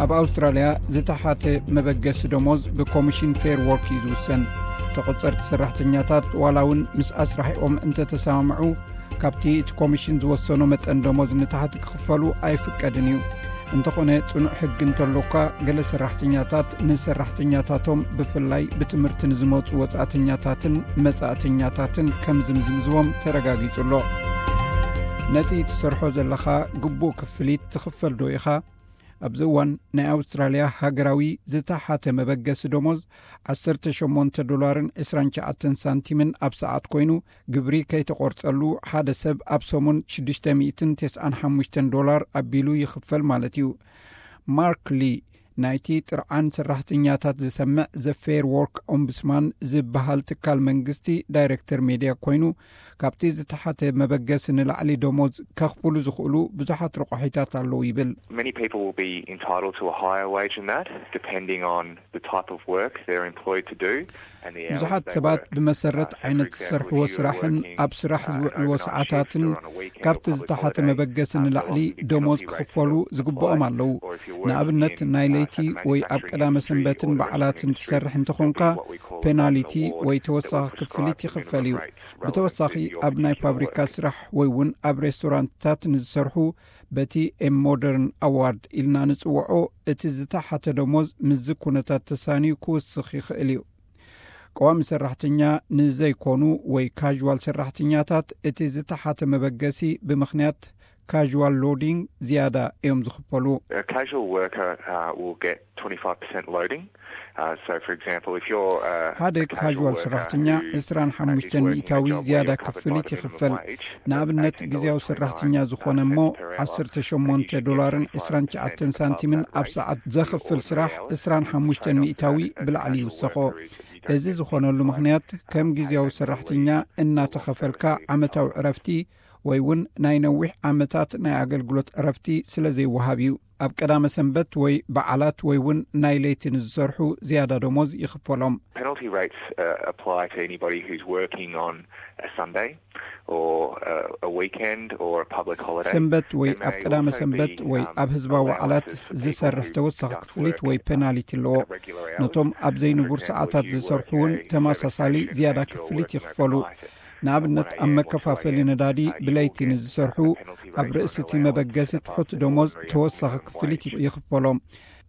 ኣብ ኣውስትራልያ ዝተሓተ መበገሲ ደሞዝ ብኮሚሽን ፌር ዎርክ እዩ ዝውሰን። ተቆጸርቲ ሰራሕተኛታት ዋላ እውን ምስ ኣስራሒኦም እንተተሰማምዑ፣ ካብቲ እቲ ኮሚሽን ዝወሰኖ መጠን ደሞዝ ንታሕቲ ክኽፈሉ ኣይፍቀድን እዩ። እንተኾነ፣ ጽኑዕ ሕጊ እንተሎኳ፣ ገለ ሰራሕተኛታት ንሰራሕተኛታቶም፣ ብፍላይ ብትምህርቲ ንዝመጹ ወጻእተኛታትን መጻእተኛታትን ከም ዝምዝምዝዎም ተረጋጊጹ ኣሎ። ነቲ ትሰርሖ ዘለኻ ግቡእ ክፍሊት ትኽፈል ዶ ኢኻ? ኣብዚ እዋን ናይ ኣውስትራልያ ሃገራዊ ዝተሓተ መበገሲ ደሞዝ ዓሰርተ ሸሞንተ ዶላርን ዕስራን ትሽዓተን ሳንቲምን ኣብ ሰዓት ኮይኑ፣ ግብሪ ከይተቖርጸሉ ሓደ ሰብ ኣብ ሰሙን ሽዱሽተ ሚእትን ተስዓን ሓሙሽተን ዶላር ኣቢሉ ይኽፈል ማለት እዩ። ማርክ ሊ፣ ናይቲ ጥርዓን ሰራሕተኛታት ዝሰምዕ ዘ ፌር ዎርክ ኦምቡስማን ዝበሃል ትካል መንግስቲ ዳይሬክተር ሜድያ ኮይኑ፣ ካብቲ ዝተሓተ መበገሲ ንላዕሊ ደሞዝ ከኽፍሉ ዝኽእሉ ብዙሓት ረቋሒታት ኣለዉ ይብል። Many people will be entitled to a higher wage than that, depending on the type of work they're employed to do. ብዙሓት ሰባት ብመሰረት ዓይነት ዝሰርሕዎ ስራሕን ኣብ ስራሕ ዝውዕልዎ ሰዓታትን ካብቲ ዝተሓተ መበገሲ ንላዕሊ ደሞዝ ክኽፈሉ ዝግብኦም ኣለዉ። ንኣብነት፣ ናይ ለይቲ ወይ ኣብ ቀዳመ ሰንበትን በዓላትን ትሰርሕ እንተኾንካ፣ ፔናሊቲ ወይ ተወሳኺ ክፍሊት ይኽፈል እዩ። ብተወሳኺ፣ ኣብ ናይ ፋብሪካ ስራሕ ወይ እውን ኣብ ሬስቶራንትታት ንዝሰርሑ፣ በቲ ኤም ሞደርን ኣዋርድ ኢልና ንጽውዖ፣ እቲ ዝተሓተ ደሞዝ ምስዚ ኩነታት ተሳንዩ ክውስኽ ይኽእል እዩ። ቀዋሚ ሰራሕተኛ ንዘይኮኑ ወይ ካዥዋል ሰራሕተኛታት፣ እቲ ዝተሓተ መበገሲ ብምኽንያት ካዥዋል ሎዲንግ ዝያዳ እዮም ዝኽፈሉ። A casual worker uh, will get twenty-five percent loading. Uh, so, for example, if you're uh, ሓደ a casual ካዥዋል worker ሰራሕተኛ who ዕስራን ሓሙሽተን is working ሚእታዊ a job where ዝያዳ you're covered by ክፍሊት the minimum ይኽፈል። wage, ንኣብነት፣ they can ግዜያዊ get twenty-nine ሰራሕተኛ ዝኾነ እሞ per hour, ዓሰርተ ሸሞንተ and you get ዶላርን paid ዕስራን ትሽዓተን ሳንቲምን ኣብ ሰዓት ዘኽፍል ስራሕ ዕስራን ሓሙሽተን ሚእታዊ ብላዕሊ ይውሰኾ። እዚ ዝኾነሉ ምኽንያት፣ ከም ግዜያዊ ሰራሕተኛ እናተኸፈልካ ዓመታዊ ዕረፍቲ ወይ እውን ናይ ነዊሕ ዓመታት ናይ ኣገልግሎት ዕረፍቲ ስለ ዘይወሃብ እዩ። ኣብ ቀዳመ ሰንበት ወይ በዓላት ወይ እውን ናይ ለይቲ ንዝሰርሑ ዝያዳ ደሞዝ ይኽፈሎም። Penalty rates uh, apply to anybody who's working on a Sunday or uh, a weekend or a public holiday. ሰንበት ወይ There may ኣብ ቀዳመ also ሰንበት be, ወይ um, ኣብ ህዝባዊ በዓላት allowances for people ዝሰርሕ who ተወሳኺ don't ክፍሊት work ወይ at, ፔናሊቲ ኣለዎ። at regular hours. ነቶም ኣብ ዘይንቡር ሰዓታት ዝሰርሑ እውን ተመሳሳሊ ዝያዳ ክፍሊት ይኽፈሉ። ንኣብነት፣ ኣብ መከፋፈሊ ነዳዲ ብለይቲ ንዝሰርሑ፣ ኣብ ርእሲ እቲ መበገሲ ትሑት ደሞዝ ተወሳኺ ክፍሊት ይኽፈሎም።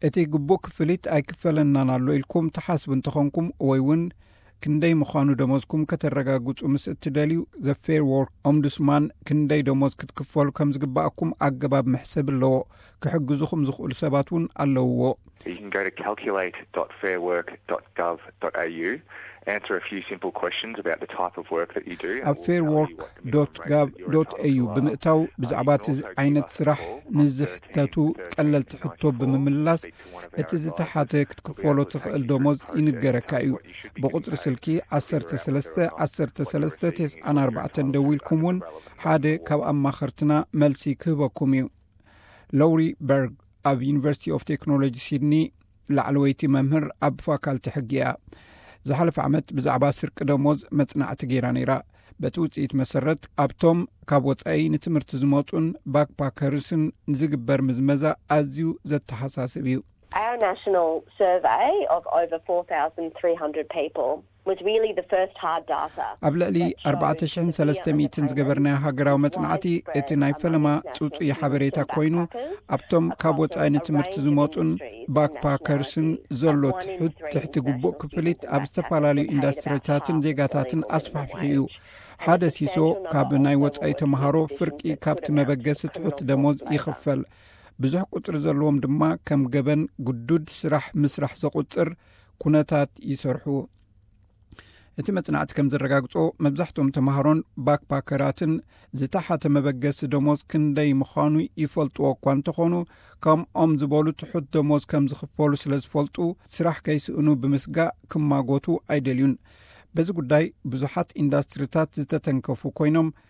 እቲ ግቡእ ክፍሊት ኣይክፈለናን ኣሎ ኢልኩም ትሓስቡ እንተኾንኩም ወይ እውን ክንደይ ምዃኑ ደሞዝኩም ከተረጋግጹ ምስ እትደልዩ፣ ዘ ፌር ዎርክ ኦምቡድስማን ክንደይ ደሞዝ ክትክፈሉ ከም ዝግባኣኩም ኣገባብ መሕሰብ ኣለዎ። ክሕግዙኹም ዝኽእሉ ሰባት እውን ኣለውዎ። You can go to calculate dot fairwork dot gov dot au, answer a few simple questions about the type of work that you do, and ኣብ it will ፌር tell you ዎርክ what the ዶት minimum rate ጋቭ that you're ዶት ኤዩ entitled to are. ብምእታው፣ Uh, you ብዛዕባ can እቲ also give ዓይነት us a ስራሕ call on ንዝሕተቱ thirteen ቀለልቲ thirteen ሕቶ twenty-four, ብምምላስ፣ speak to one of our እቲ ዝተሓተ advisors. ክትክፈሎ ትኽእል ደሞዝ ይንገረካ እዩ። ብቑጽሪ ስልኪ ዓሰርተ ሰለስተ ዓሰርተ ሰለስተ ተስዓን ኣርባዕተን ደዊልኩም እውን ሓደ ካብ ኣማኸርትና መልሲ ክህበኩም እዩ። ሎሪ በርግ፣ ኣብ ዩኒቨርሲቲ ኦፍ ቴክኖሎጂ ሲድኒ ላዕለወይቲ መምህር ኣብ ፋካልቲ ሕጊ እያ። ዝሓለፈ ዓመት ብዛዕባ ስርቂ ደሞዝ መጽናዕቲ ገይራ ነይራ። በቲ ውጽኢት መሰረት፣ ኣብቶም ካብ ወጻኢ ንትምህርቲ ዝመጹን ባክፓከርስን ዝግበር ምዝመዛ ኣዝዩ ዘተሓሳስብ እዩ። Our national survey of over four thousand three hundred people was really the first hard data. ኣብ ልዕሊ ኣርባዕተ ሽሕን ሰለስተ ሚእትን ዝገበርናዮ ሃገራዊ መጽናዕቲ፣ እቲ ናይ ፈለማ ጽጹይ ሓበሬታ ኮይኑ፣ ኣብቶም ካብ ወጻኢ ንትምህርቲ ዝመጹን ባክፓከርስን ዘሎ ትሑት ትሕቲ ግቡእ ክፍሊት ኣብ ዝተፈላለዩ ኢንዱስትሪታትን ዜጋታትን ኣስፋሕፊሑ እዩ። ሓደ ሲሶ ካብ ናይ ወጻኢ ተምሃሮ ፍርቂ ካብቲ መበገሲ ትሑት ደሞዝ ይኽፈል። ብዙሕ ቁጽሪ ዘለዎም ድማ ከም ገበን ግዱድ ስራሕ ምስራሕ ዘቑጽር ኩነታት ይሰርሑ። እቲ መጽናዕቲ ከም ዘረጋግጾ፣ መብዛሕትኦም ተምሃሮን ባክፓከራትን ዝተሓተ መበገሲ ደሞዝ ክንደይ ምዃኑ ይፈልጥዎ እኳ እንተኾኑ፣ ከምኦም ዝበሉ ትሑት ደሞዝ ከም ዝኽፈሉ ስለ ዝፈልጡ፣ ስራሕ ከይስእኑ ብምስጋእ ክማጎቱ ኣይደልዩን። በዚ ጉዳይ ብዙሓት ኢንዱስትሪታት ዝተተንከፉ ኮይኖም፣